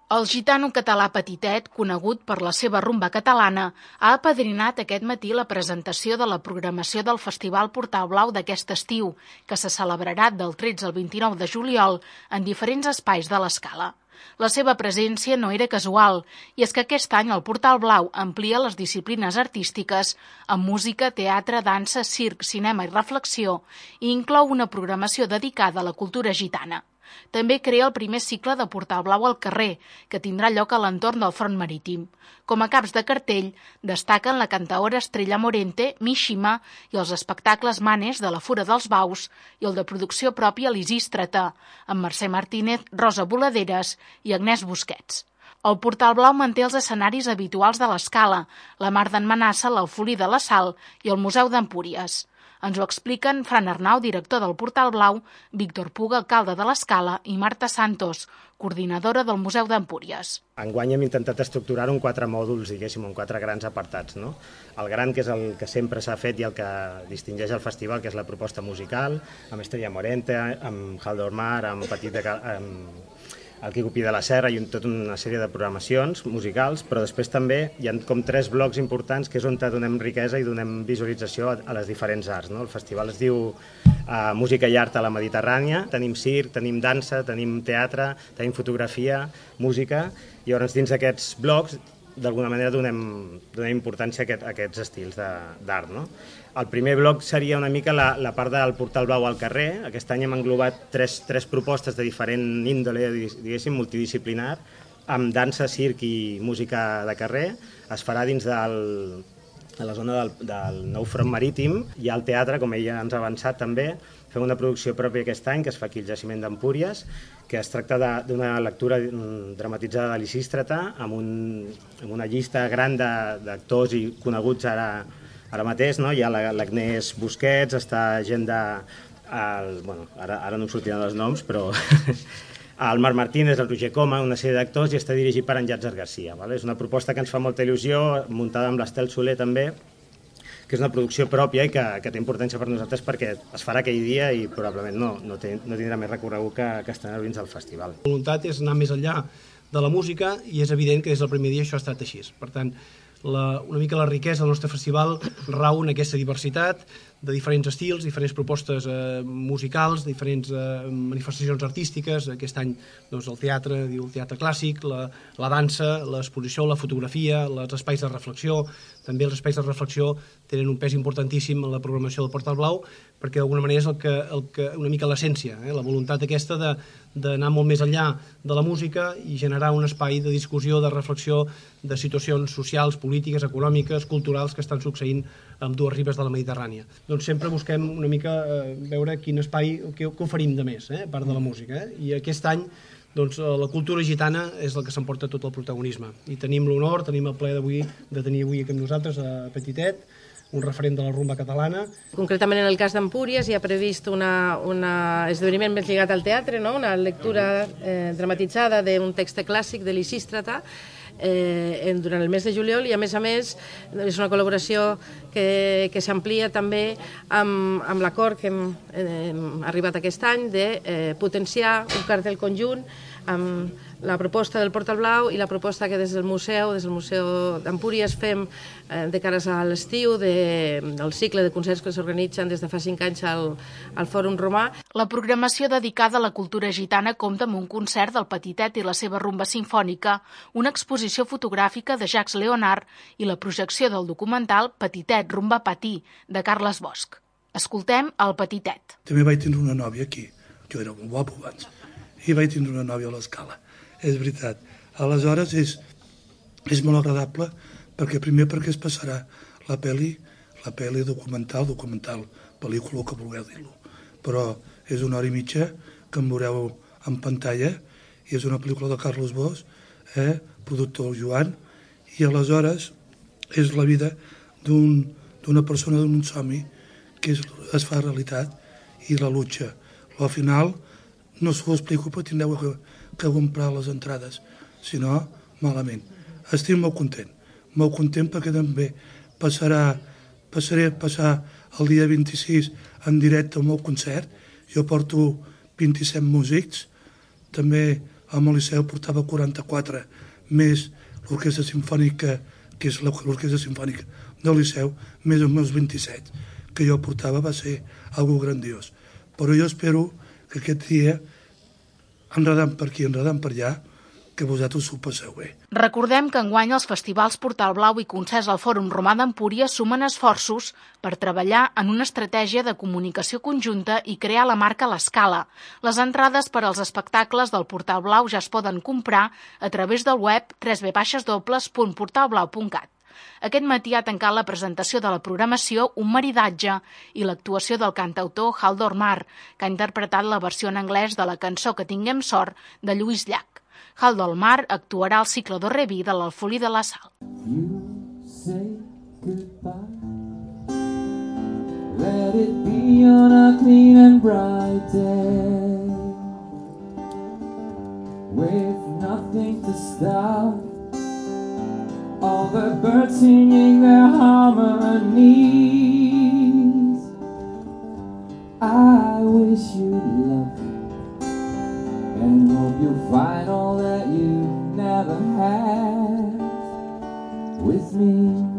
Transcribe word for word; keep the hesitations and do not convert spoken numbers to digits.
El gitano català Petitet, conegut per la seva rumba catalana, ha apadrinat aquest matí la presentació de la programació del Festival Portal Blau d'aquest estiu, que se celebrarà del tretze al vint-i-nou de juliol en diferents espais de l'Escala. La seva presència no era casual, i és que aquest any el Portal Blau amplia les disciplines artístiques amb música, teatre, dansa, circ, cinema i reflexió, i inclou una programació dedicada a la cultura gitana. També crea el primer cicle de Portal Blau al carrer, que tindrà lloc a l'entorn del front marítim. Com a caps de cartell, destaquen la cantaora Estrella Morente, Mishima i els espectacles Manes de la Fura dels Baus i el de producció pròpia Lisístrata, amb Mercè Martínez, Rosa Boladeres i Agnès Busquets. El Portal Blau manté els escenaris habituals de l'Escala, la Mar d'en Manassa, l'Alfolí de la Sal i el Museu d'Empúries. Ens ho expliquen Fran Arnau, director del Portal Blau, Víctor Puga, alcalde de l'Escala, i Marta Santos, coordinadora del Museu d'Empúries. Enguany hem intentat estructurar-ho en quatre mòduls, diguéssim, en quatre grans apartats, no? El gran, que és el que sempre s'ha fet i el que distingeix el festival, que és la proposta musical, amb Estrella Morente, amb Haldor Mar, amb Petit de... amb el Quico Pi de la Serra i tota una sèrie de programacions musicals, però després també hi ha com tres blocs importants que és on donem riquesa i donem visualització a les diferents arts, no? El festival es diu uh, Música i Art a la Mediterrània, tenim circ, tenim dansa, tenim teatre, tenim fotografia, música, i llavors dins d'aquests blocs d'alguna manera donem, donem importància a, aquest, a aquests estils d'art, no? El primer bloc seria una mica la, la part del Portal Blau al carrer. Aquest any hem englobat tres, tres propostes de diferent índole, diguéssim, multidisciplinar, amb dansa, circ i música de carrer. Es farà dins del, de la zona del, del nou front marítim. Hi ha el teatre, com ella ens ha avançat també. Fem una producció pròpia aquest any, que es fa aquí al Jaciment d'Empúries, que es tracta d'una lectura dramatitzada de Lisístrata, amb, un, amb una llista gran d'actors i coneguts ara, ara mateix, no? Hi ha l'Agnès Busquets, està gent de... El, bueno, ara, ara no em sortiran els noms, però... el Marc Martínez, el Roger Coma, una sèrie d'actors, i està dirigit per en Llàtzer Garcia. Vale? És una proposta que ens fa molta il·lusió, muntada amb l'Estel Soler també, que és una producció pròpia i que, que té importància per nosaltres perquè es farà aquell dia i probablement no, no, té, no tindrà més recorregut que, que estrenar dins del festival. La voluntat és anar més enllà de la música i és evident que des del primer dia això ha estat així. Per tant, la, una mica la riquesa del nostre festival rau en aquesta diversitat de diferents estils, diferents propostes eh, musicals, diferents eh, manifestacions artístiques. Aquest any doncs, el teatre, diu el teatre clàssic, la, la dansa, l'exposició, la fotografia, els espais de reflexió. També els espais de reflexió tenen un pes importantíssim en la programació del Portal Blau, perquè d'alguna manera és el que, el que, una mica l'essència, eh? La voluntat aquesta d'anar molt més enllà de la música i generar un espai de discussió, de reflexió, de situacions socials, polítiques, econòmiques, culturals que estan succeint amb dues ribes de la Mediterrània. Doncs sempre busquem una mica eh, veure quin espai, què, què oferim de més, eh, a part de la música. Eh? I aquest any doncs, la cultura gitana és la que s'emporta tot el protagonisme. I tenim l'honor, tenim el plaer d'avui de tenir avui amb nosaltres a Petitet, un referent de la rumba catalana. Concretament en el cas d'Empúries hi ha previst un esdeveniment més lligat al teatre, no? Una lectura eh, dramatitzada d'un text clàssic de Lisístrata, Eh, durant el mes de juliol, i a més a més és una col·laboració que, que s'amplia també amb, amb l'acord que hem, hem arribat aquest any de eh, potenciar un cartell conjunt amb la proposta del Portal Blau i la proposta que des del museu, des del Museu d'Empúries fem eh, de cares a l'estiu de, del cicle de concerts que s'organitzen des de fa cinc anys al, al Fòrum Romà. La programació dedicada a la cultura gitana compta amb un concert del Petitet i la seva rumba sinfònica, una exposició fotogràfica de Jacques Leonard i la projecció del documental Petitet, rumba patí, de Carles Bosch. Escoltem el Petitet. També vaig tenir una nòvia aquí, jo era molt guapo abans, i vaig tindre una nòvia a l'Escala, és veritat. Aleshores és, és molt agradable perquè primer perquè es passarà la pel·li, la pel·li documental, documental, pel·lícula, que vulgueu dir-lo, però és una hora i mitja que em veureu en pantalla i és una pel·lícula de Carles Bosch, eh, productor Joan, i aleshores és la vida d'una un, persona d'un somni que es, es fa realitat i la lucha. Al final no us ho explico perquè tindreu que, que comprar les entrades, si no, malament. Estic molt content, molt content perquè també passarà, passaré a passar el dia vint-i-sis en directe al meu concert. Jo porto vint-i-set músics, també amb el Liceu portava quaranta-quatre, més l'Orquestra Simfònica, que és l'Orquestra Simfònica del Liceu, més els meus vint-i-set, que jo portava, va ser algo grandiós. Però jo espero que aquest dia, enredant per aquí, enredant per allà, que vosaltres ho passeu bé. Recordem que enguany els festivals Portal Blau i concerts al Fòrum Romà d'Empúries sumen esforços per treballar en una estratègia de comunicació conjunta i crear la marca a l'escala. Les entrades per als espectacles del Portal Blau ja es poden comprar a través del web w w w punt portal blau punt cat. Aquest matí ha tancat la presentació de la programació Un maridatge i l'actuació del cantautor Haldor Mar, que ha interpretat la versió en anglès de la cançó Que tinguem sort de Lluís Llach. Haldor Mar actuarà al cicle do Reví de l'Alfolí de la Sal. You say goodbye. Let it be on a clean and bright day, with nothing to stop all the birds singing their harmonies. I wish you luck and hope you find all that you never had with me.